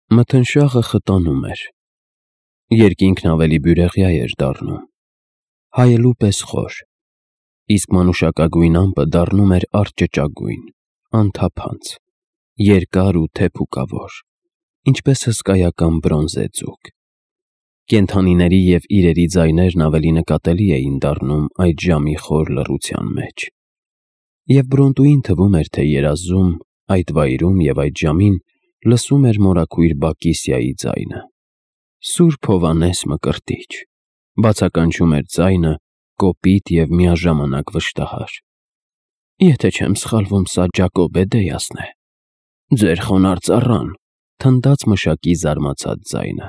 Մթնշաղը խտանում էր, երկինքն ավելի բյուրեղյա էր դառնում, հայելու պես խոր, իսկ մանուշակագույն ամպը դառնում էր արճճագույն, անթափանց, երկար ու թեփուկավոր, ինչպես հսկայական բրոնզե ձուկ։ Կենդանիների և իրերի ձայներն ավելի նկատելի էին դառնում այդ ժամի խոր լռության մեջ։ Եվ Բրոնտուին թվում էր, թե երազում, այդ վայրում և այդ ժամին լսում էր մորաքույր Բակիսիայի ձայնը։ Սուրբ Հովհաննես Մկրտիչ, բացականչում էր ձայնը, կոպիտ և միաժամանակ վշտահար։ Եթե չեմ սխալվում, սա Ջակոբե Դեյասն է։ Ձեր խոնարհ ծառան, թնդաց մշակի զարմացած ձայնը։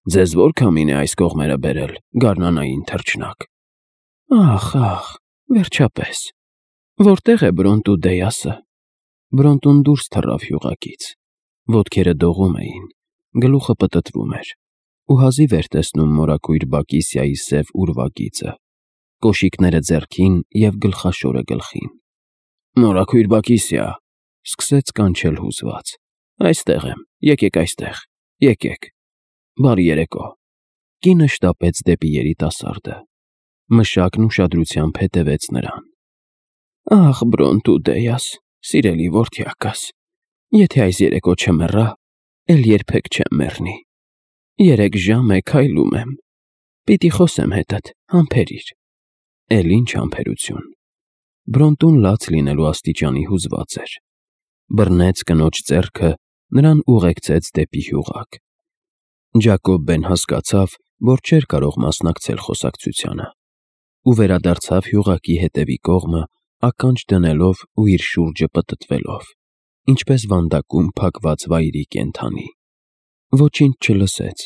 Ձեզ ո՞ր քամին է այս կողմերը բերել, գարնանային թռչնակ։ Ախ, վերջապես։ Որտե՞ղ է Բրոնտու Դեյասը։ Բրոնտուն դուրս թռավ յուղակից։ Ոտքերը դողում էին, գլուխը պտտվում էր, ու հազիվ էր տեսնում մորաքույր Բակիսիայի սև ուրվագիծը, կոշիկները ձեռքին և գլխաշորը գլխին։ Մորաքույր Բակիսիա, սկսեց կանչել հուզված։ Այստեղ եմ, եկեք այստեղ, եկեք։ Բարի երեկո։ Կինը շտապեց դեպի երիտասարդը։ Մշակն ուշադրությամբ հետևեց նրան։ Ախ, Բրոնտու Դեյաս, սիրելի որդյակս, եթե այս երեկո չմեռա, էլ երբեք չեմ մեռնի։ 3 ժամ է քայլում եմ։ Պիտի խոսեմ հետդ, համբերիր։ Էլ ինչ համբերություն։ Բրոնտուն լաց լինելու աստիճանի հուզված էր։ Բռնեց կնոջ ձեռքը, նրան ուղեկցեց դեպի հյուղակ։ Ջակոբեն հասկացավ, որ չէր կարող մասնակցել խոսակցությանը, ու վերադարձավ հյուղակի հետևի կողմը, ականջ դնելով ու իր շուրջը պտտվելով, ինչպես վանդակում փակված վայրի կենդանի։ Ոչինչ չլսեց։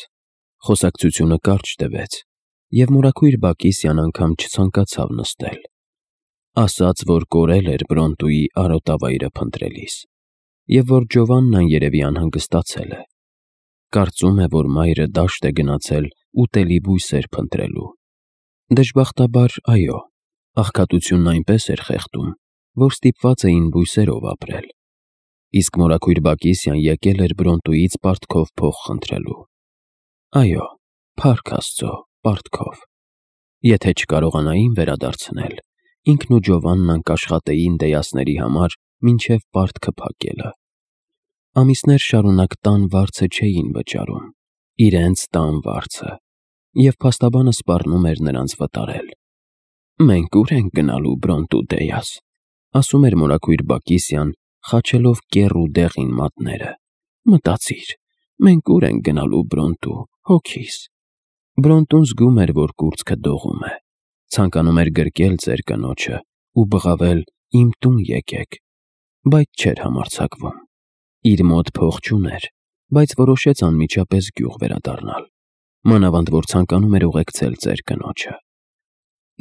Խոսակցությունը կարճ տևեց, և մորաքույր Բակիսյան անգամ չցանկացավ նստել։ Ասաց, որ կորել էր Բրոնտուի արոտավայրը փնտրելիս, և որ Ջովաննան երևի անհանգստացել է։ Կարծում է, որ մայրը դաշտ է գնացել ուտելի բույսեր փնտրելու։ Դժբախտաբար, այո, աղքատությունն այնպես էր խեղդում, որ ստիպված էին բույսերով ապրել։ Իսկ մորաքույր Բակիսյան եկել էր Բրոնտուից պարտքով փող խնդրելու։ Այո, փառք Աստծո, պարտքով։ Եթե չկարողանային վերադարձնել, ինքն ու Ջովաննան կաշխատեին Դեյասների համար մինչև պարտքը փակելը։ Ամիսներ շարունակ տան վարձը չէին վճարում, իրենց տան վարձը, և փաստաբանը սպառնում էր նրանց վտարել։ Մենք ո՞ւր ենք գնալու, Բրոնտու Դեյաս, ասում էր մորաքույր Բակիսյան, խաչելով կեռ ու դեղին մատները։ Մտածիր, մենք ո՞ւր ենք գնալու, Բրոնտու, հոգիս։ Բրոնտուն զգում էր, որ կուրծքը դողում է, ցանկանում էր գրկել ծեր կնոջը ու բղավել իմ տուն եկեք, բայց չէր համարձակվում։ Իր մոտ փող չուներ, բայց որոշեց անմիջապես գյուղ վերադառնալ, մանավանդ որ ցանկանում էր ուղեկցել ծեր կնոջը։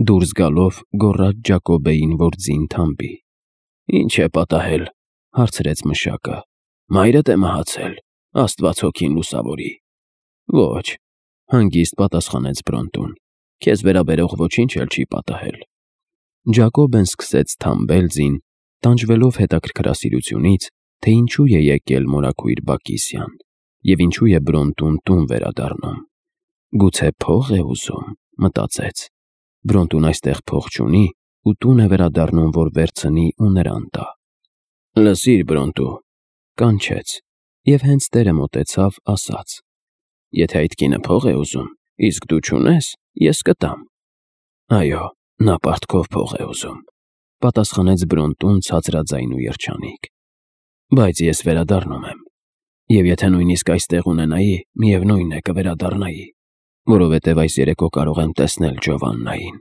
Դուրս գալով գոռաց Ջակոբեին, որ ձին թամբի։ Ինչ է պատահել, հարցրեց մշակը։ Մայրդ է մահացել, Աստված հոգին լուսավորի։ Ոչ, հանգիստ պատասխանեց Բրոնտուն, քեզ վերաբերող ոչինչ էլ չի պատահել։ Ջակոբեն սկսեց թամբել ձին, տանջվելով հետաքրքրասիրությունից, թե ինչու է եկել մորաքույր Բակիսյան, և ինչու է Բրոնտուն տուն վերադառնում։ Գուցե փող է ուզում, մտածեց։ Բրոնտուն այստեղ փող չունի ու տուն է վերադառնում, որ վերցնի ու նրան տա։ Լսիր, Բրոնտու, կանչեց, և հենց տերը մոտեցավ, ասաց. Եթե այդ կինը փող է ուզում, իսկ դու չունես, ես կտամ։ Այո, նա պարտքով փող է ուզում, պատասխանեց Բրոնտուն ցածրաձայն ու երջանիկ։ Բայց ես վերադառնում եմ, և եթե նույնիսկ այստեղ ունենայի, միևնույն է կվերադառնայի, որովհետև այս երեկո կարող եմ տեսնել Ջովաննային,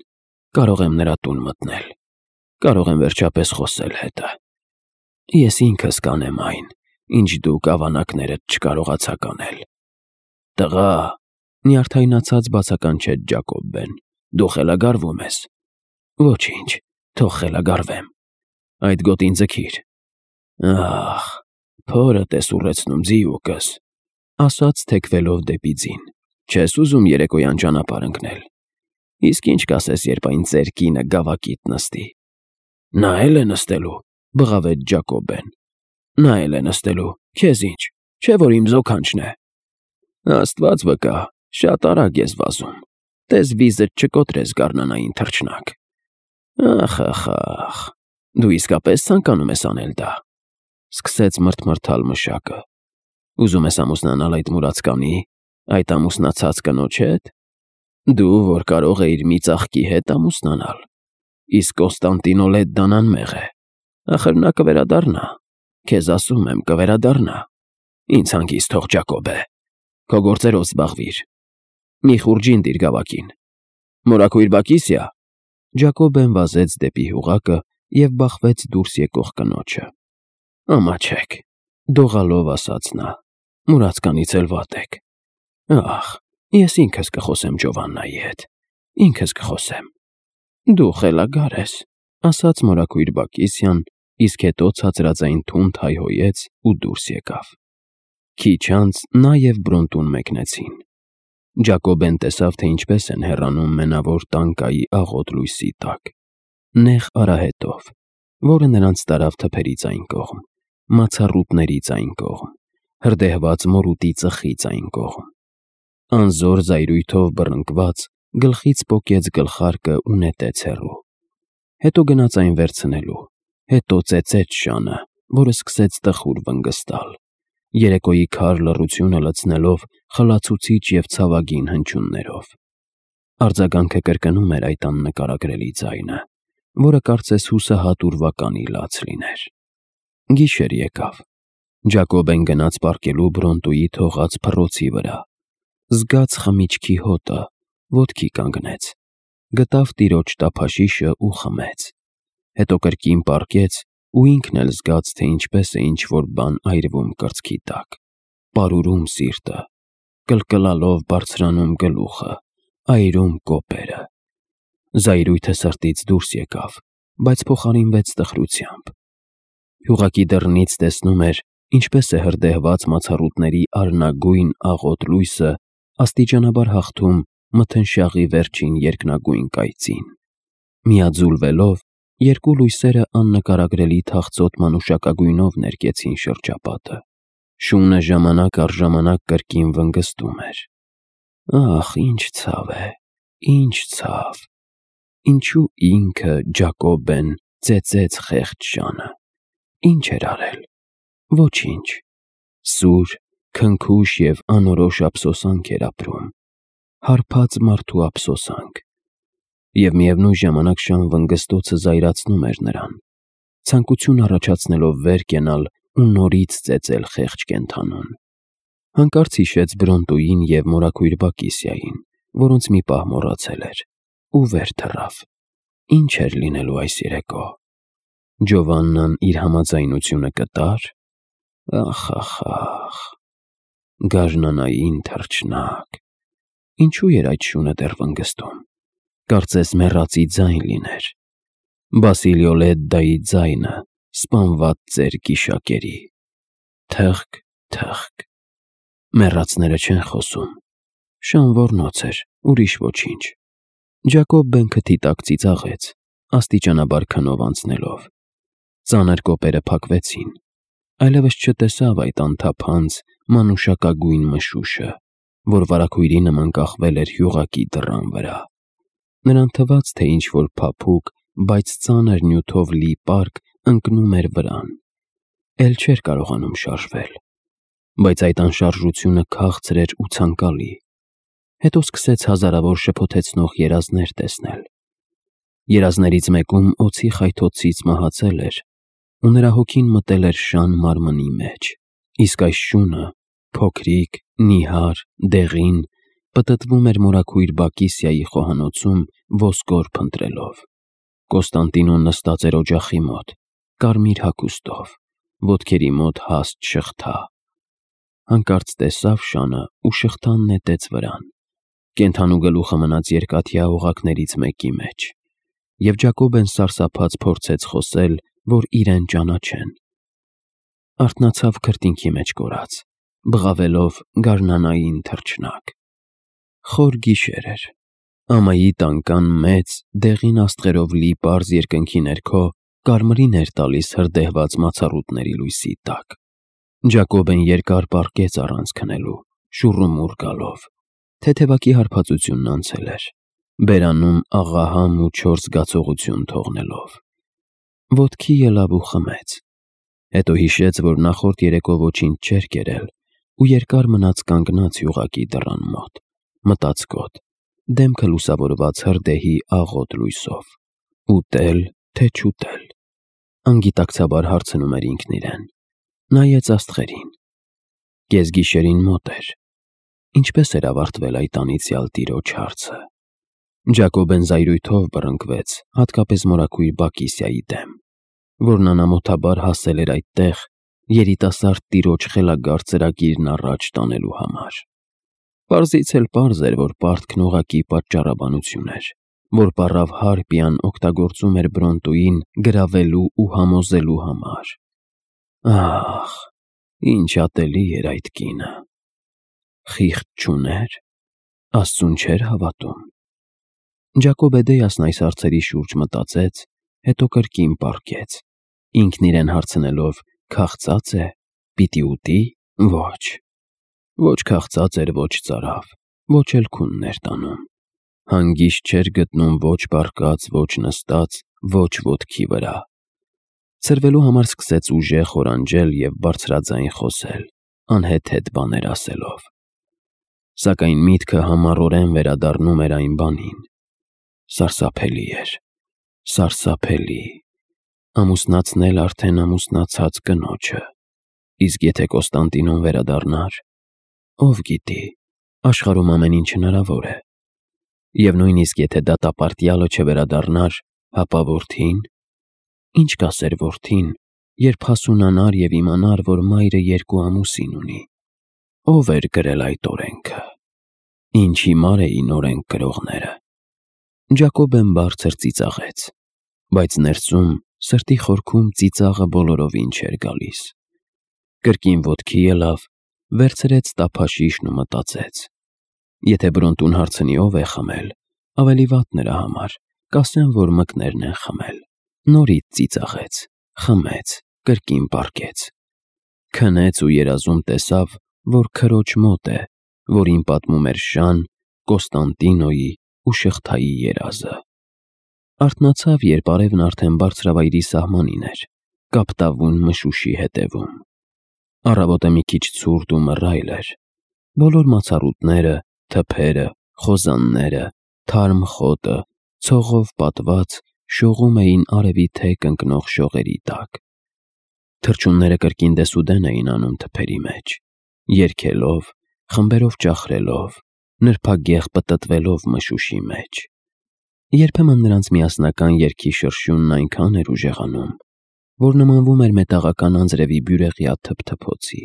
կարող եմ նրա տուն մտնել, կարող եմ վերջապես խոսել հետը։ Ես ինքս կանեմ այն, ինչ դուք ավանակներդ չկարողացաք անել։ Տղա, նյարդայնացած բացականչեց Ջակոբեն, դու խելագարվում ես։ Ոչինչ, թող խելագարվեմ։ Այդ գոտին ձգիր։ Ախ, փորդ ես ուռեցնում, ձիուկս, ասաց թեքվելով դեպի ձին։ Չես ուզում երեկոյան ճանապարհ ընկնել։ Իսկ ինչ կասես, երբ այն ծեր կինը գավակիդ նստի։ Նա էլ է նստելու, բղավեց Ջակոբեն։ Նա էլ է նստելու, քեզ ինչ, չէ՞ որ իմ զոքանչն է։ Աստված վկա, շատ արագ ես վազում։ Տես վիզդ չկոտրես գարնանային թռչնակ։ Ախ, դու իսկապես ցանկանում ես անել դա, սկսեց մրթմրթալ մշակը։ Ուզում ես ամուսնանալ այդ մուրացկանի, այդ ամուսնացած կնոջ հետ։ Դու, որ կարող էիր մի ծաղկի հետ ամուսնանալ, իսկ Կոստանտինո Լեդդան անմեղ է։ Ախր նա կվերադառնա, քեզ ասում եմ, կվերադառնա։ Ինձ հանգիստ թող, Ջակոբե, քո գործերով զբաղվիր։ Մի խուրջին դիր գավակին։ Մորաքույր Բակիսիա։ Ջակոբեն վազեց դեպի հյուղակը և բախվեց դուրս եկող կնոջը։ Ամաչեք, դողալով ասաց նա, մուրացկանից էլ վատ եք։ Ախ, ես ինքս կխոսեմ Ջովաննայի հետ, ինքս կխոսեմ։ Դու խելագար ես, ասաց մորաքույր Բակիսիան, իսկ հետո ցածրաձայն թունդ հայհոյեց ու դուրս եկավ։ Քիչ անց նա և Բրոնտուն մեկնեցին։ Ջակոբեն տեսավ, թե ինչպես են հեռանում մենավոր տանկայի աղոտ լույսի տակ, նեղ արահետով, որը նրանց տարավ թփերից այն կողմ, մացառուտներից այն կողմ, հրդեհված մորուտի ծխից այն կողմ։ Անզոր զայրույթով բռնկված գլխից պոկեց գլխարկը ու նետեց հեռու։ Հետո գնաց այն վերցնելու, հետո ծեծեց շանը, որը սկսեց տխուր վնգստալ, երեկոյի քար լռությունը լցնելով խլացուցիչ և ցավագին հնչյուններով։ Արձագանքը կրկնում էր այդ աննկարագրելի ձայնը, որը կարծես հուսահատ ուրվականի լաց լիներ։ Գիշեր եկավ։ Ջակոբեն գնաց պառկելու Բրոնտուի թողած փռոցի վրա, զգաց խմիչքի հոտը, ոտքի կանգնեց, գտավ տիրոջ տափաշիշը ու խմեց։ Հետո կրկին պառկեց ու ինքն էլ զգաց, թե ինչպես է ինչ-որ բան այրվում կրծքի տակ, պարուրում սիրտը, կլկլալով բարձրանում գլուխը, այրում կոպերը։ Զայրույթը սրտից դուրս եկավ, բայց փոխարինվեց տխրությամբ։ Հյուղակի դռնից տեսնում էր, ինչպես է հրդեհված մացառուտների արնագույն աղոտ լույսը աստիճանաբար հաղթում մթնշաղի վերջին երկնագույն կայծին։ Միաձուլվելով, երկու լույսերը աննկարագրելի թախծոտ մանուշակագույնով ներկեցին շրջապատը։ Շունը ժամանակ առ ժամանակ կրկին վնգստում էր։ Ախ, ինչ ցավ է, ինչ ցավ։ Ինչու ինքը, Ջակոբեն, ծեծեց խեղճ շանը։ Ինչ էր արել։ Ոչինչ։ Սուր, քնքուշ և անորոշ ափսոսանք էր ապրում, հարբած մարդու ափսոսանք։ Եվ միևնույն ժամանակ շան վնգստոցը զայրացնում էր նրան, ցանկություն առաջացնելով վեր կենալ ու նորից ծեծել խեղճ կենդանուն։ Հանկարծ հիշեց Բրոնտուին և մորաքույր Բակիսիային, որոնց մի պահ մոռացել էր, ու վեր թռավ։ Ինչ էր լինելու այս երեկո։ Ջովաննան իր համաձայնությունը կտա՞ր։ Ախ, գարնանային թռչնակ։ Ինչու էր այդ շունը դեռ վնգստում։ Կարծես մեռածի ձայն լիներ։ Բասիլիո Լեդդայի ձայնը, սպանված ծեր գիշակերի։ Թըղկ։ Մեռածները չեն խոսում։ Շան ոռնոց էր, ուրիշ ոչինչ։ Ջակոբեն քթի տակ ծիծաղեց, աստիճանաբար քնով անցնելով։ Ծանր կոպերը փակվեցին, այլևս չտեսավ այդ անթափանց մանուշակագույն մշուշը, որ վարագույրի նման կախվել էր հյուղակի դռան վրա։ Նրան թվաց, թե ինչ-որ փափուկ, բայց ծանր նյութով լի պարկ ընկնում էր վրան։ Էլ չէր կարողանում շարժվել։ Բայց այդ անշարժությունը քաղցր էր ու ցանկալի։ Հետո սկսեց հազարավոր շփոթեցնող երազներ տեսնել։ Երազներից մեկում օձի խայթոցից մահացել էր, ու նրա հոգին մտել էր շան մարմնի մեջ, իսկ այս շունը, փոքրիկ, նիհար, դեղին, պտտվում էր մորաքույր Բակիսիայի խոհանոցում ոսկոր փնտրելով։ Կոստանտինոն նստած էր օջախի մոտ, կարմիր հագուստով, ոտքերի մոտ հաստ շղթա։ Հանկարծ տեսավ շանը ու շղթան նետեց վրան։ Կենդանու գլուխը մնաց երկաթյա օղակներից մեկի մեջ, և Ջակոբեն սարսափած փորձեց խոսել, որ իրեն ճանաչեն։ Արթնացավ քրտինքի մեջ կորած, բղավելով գարնանային թռչնակ։ Խոր գիշեր էր։ Ամայի տանկան մեծ, դեղին աստղերով լի պարզ երկնքի ներքո կարմրին էր տալիս հրդեհված մացառուտների լույսի տակ։ Ջակոբն երկար պառկեց առանց քնելու, շուռումուռ գալով։ Թեթևակի հարբածությունն անցել էր, բերանում աղահամ ու չոր զգացողություն թողնելով։ Ոտքի ելավ ու խմեց։ Հետո հիշեց, որ նախորդ երեկո ոչինչ չէր կերել ու երկար մնաց կանգնած յուղակի դռան մոտ, մտածկոտ, դեմքը լուսավորված հրդեհի աղոտ լույսով։ Ուտել, թե չուտել։ Անգիտակցաբար հարցնում էր ինքն իրեն։ Նայեց աստղերին։ Կեսգիշերին մոտ էր։ Ինչպես էր ավարտվել այդ անիծյալ տիրոջ հարցը։ Ջակոբն զայրույթով բռնկվեց, հատկապես մորաքույր Բակիսիայի դեմ, որն անամոթաբար հասել էր այդտեղ երիտասարդ տիրոջ խելագար ծրագիրն առաջ տանելու համար։ Պարզից էլ պարզ էր, որ պարտքն ուղղակի պատճառաբանություն էր, որ պառավ Հարպիան օգտագործում էր Բրոնտոյին գրավելու ու համոզելու համար։ Ահ, ինչ ատելի էր այդ կինը։ Խիղճ չուներ, Աստծուն չէր հավատում։ Ջակոբը դեյասն այս հարցերի շուրջ մտածեց, հետո կրկին պառկեց, ինքն իրեն հարցնելով, քաղցած է, պիտի ուտի, ոչ։ Ոչ քաղցած էր, ոչ ծարավ, ոչ էլ քունն էր տանում։ Հանգիստ չէր գտնում ոչ պառկած, ոչ նստած, ոչ ոտքի վրա։ Ցրվելու համար սկսեց ուժեղ խորանջել և բարձրաձայն խոսել, անհեթեթ բաներ ասելով։ Սակայն միտքը համառորեն վերադառնում էր այն բանին։ Սարսափելի էր, սարսափելի։ Ամուսնացնել արդեն ամուսնացած կնոջը։ Իսկ եթե Կոստանդինոն վերադառնար, ով գիտի, աշխարհում ամեն ինչ հնարավոր է։ Եվ նույնիսկ եթե դատապարտյալը չվերադառնար, ապա որդին։ Ինչ կասեր որդին, երբ հասունանար և իմանար, որ մայրը 2 ամուսին ունի։ Ով էր գրել այդ օրենքը։ Ինչ հիմար էին օրենք գրողները։ Ջակոբն բարձր ծիծաղեց, բայց ներսում, սրտի խորքում ծիծաղը բոլորովին չէր գալիս։ Կրկին ոտքի ելավ, վերցրեց տափաշիշն ու մտածեց. եթե Բրոնտուն հարցնի ով է խմել, ավելի վատ նրա համար, կասեն, որ մկներն են խմել։ Նորից ծիծաղեց, խմեց, կրկին պառկեց։ Քնեց ու երազում տեսավ, որ քրոջ մոտ է, որին պատմում էր Շան, Կոստանդինոյի ու շղթայի երազը։ Արթնացավ, երբ արևն արդեն բարձրավայրի սահմանին էր, կապտավուն մշուշի հետևում։ Առավոտը մի քիչ ցուրտ ու մռայլ էր։ Բոլոր մացառուտները, թփերը, խոզանները, թարմ խոտը, ցողով պատված, շողում էին արևի թեք ընկնող շողերի տակ։ Թռչունները կրկին դեսուդեն էին անում թփերի մեջ, երգելով, խմբերով ճախրելով, նրբագեղ պտտվելով մշուշի մեջ։ Երբեմն նրանց միասնական երգի շրշյունն այնքան էր ուժեղանում, որ նմանվում էր մետաղական անձրևի բյուրեղյա թփթփոցի։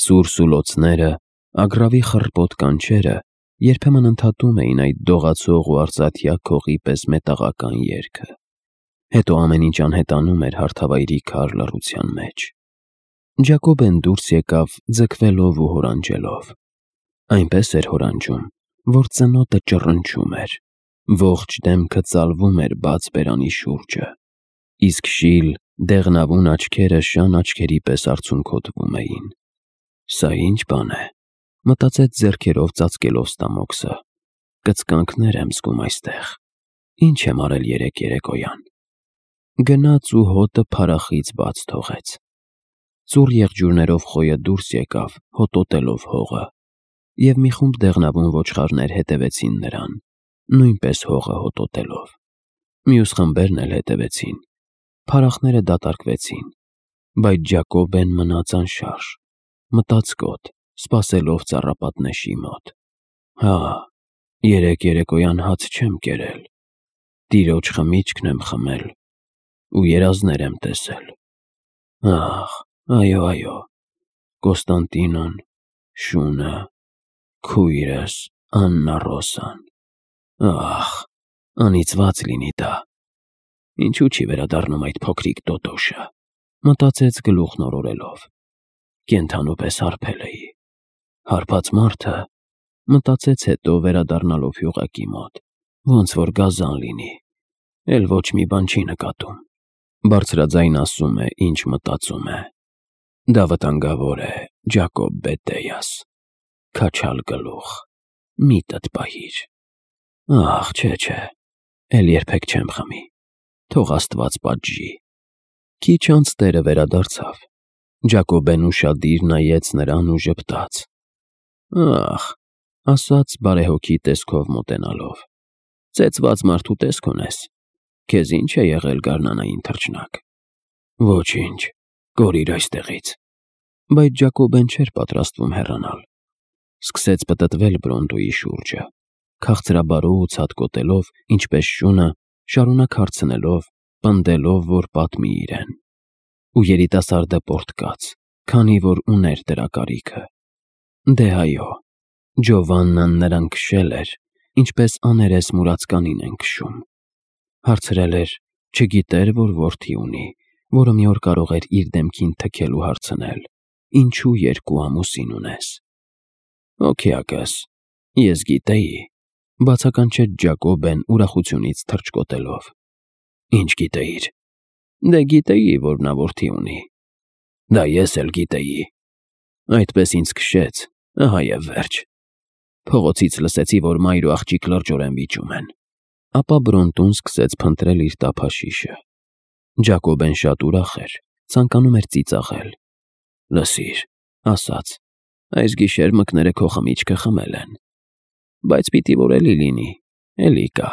Սուր սուլոցները, ագռավի խռպոտ կանչերը երբեմն ընդհատում էին այդ դողացող ու արծաթյա քողի պես մետաղական երգը։ Հետո ամեն ինչ անհետանում էր հարթավայրի քար լռության մեջ։ Ջակոբն դուրս եկավ ձգվելով ու հորանջելով։ Այնպես էր հորանջում, որ ծնոտը ճռնչում էր, ողջ դեմքը ծալվում էր բաց բերանի շուրջը, իսկ շիլ, դեղնավուն աչքերը Շան աչքերի պես արցունքոտվում էին։ Սա ինչ բան է, մտածեց ձեռքերով ծածկելով ստամոքսը։ Կծկանքներ եմ զգում այստեղ։ Ինչ եմ արել երեկոյան։ Գնաց ու հոտը փարախից բաց թողեց։ Ծուռ եղջյուրներով խոյը դուրս եկավ, հոտոտելով հողը, և մի խումբ դեղնավուն ոչխարներ հետևեցին նրան, նույնպես հողը հոտոտելով։ Մյուս խմբերն էլ հետևեցին։ Փարախները դատարկվեցին, բայց Ջակոբն մնաց անշարժ, մտածկոտ, սպասելով ծառապատնեշի մոտ։ Հա, երեկոյան հաց չեմ կերել, տիրոջ խմիչքն եմ խմել ու երազներ եմ տեսել։ Ահ, այո, Կոստանդինոն, Շունը, քույրս, Աննա Ռոսան։ Ահ, անիծված լինի դա։ Ինչու չի վերադառնում այդ փոքրիկ տոտոշը, մտածեց գլուխն օրորելով։ Կենդանու պես հարբել էի։ Հարբած մարդը, մտածեց հետո վերադառնալով յուղակի մոտ, ոնց որ գազան լինի, էլ ոչ մի բան չի նկատում։ Բարձրաձայն ասում է, ինչ մտածում է։ Դա վտանգավոր է, Ջակոբ Բետեյաս, քաչալ գլուխ, միտդ պահիր։ Ախ, չէ, էլ երբեք չեմ խմի, թող Աստված պատժի։ Քիչ անց տերը վերադարձավ, Ջակոբեն ուշադիր նայեց նրան ու ժպտաց։ Ախ, ասաց բարեհոգի տեսքով մոտենալով, ծեծված մարդու տեսք ունես, քեզ ինչ է եղել գարնանային թռչնակ։ Ոչինչ, կորիր այստեղից։ Բայց Ջակոբեն չէր պատրաստվում հեռանալ։ Սկսեց պտտվել Բրոնդոյի շուրջը, քաղցրաբարոց հատկոտելով, ինչպես շունը, շարունակ հարցնելով, պնդելով, որ պատմի իրեն։ Ու երիտասարդը պոռթկաց, քանի որ ուներ դրա կարիքը։ Դե այո, Ջովաննան նրան քշել էր, ինչպես աներես մուրացկանին են քշում։ Հարցրել էր, չգիտեր, որ որդի ունի, որը մի օր կարող էր իր դեմքին թքել ու հարցնել. ինչու երկու ամուսին ունես։ Օքեակս, ես գիտեի, բացականչեց Ջակոբեն ուրախությունից թռչկոտելով։ Ինչ գիտեիր։ Դե գիտեի, որ նա որդի ունի։ Դա ես էլ գիտեի։ Այդպես ինձ քշեց, ահա եւ վերջ։ Փողոցից լսեցի, որ մայր ու աղջիկ լրջորեն վիճում են։ Ապա Բրոնտուն սկսեց փնտրել իր տափաշիշը։ Ջակոբեն շատ ուրախ էր, ցանկանում էր ծիծաղել։ Լսիր, ասաց, այս գիշեր մկները քո խմիչքը խմել են։ Բայց պիտի որ էլի լինի, էլի կա։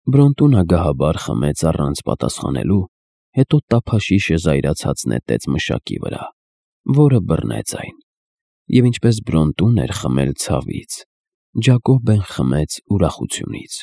Բրոնտուն ագահաբար խմեց առանց պատասխանելու, հետո տափաշիշը զայրացած նետեց մշակի վրա, որը բռնեց այն։ Եվ ինչպես Բրոնտուն էր խմել ցավից, Ջակոբեն խմեց ուրախությունից։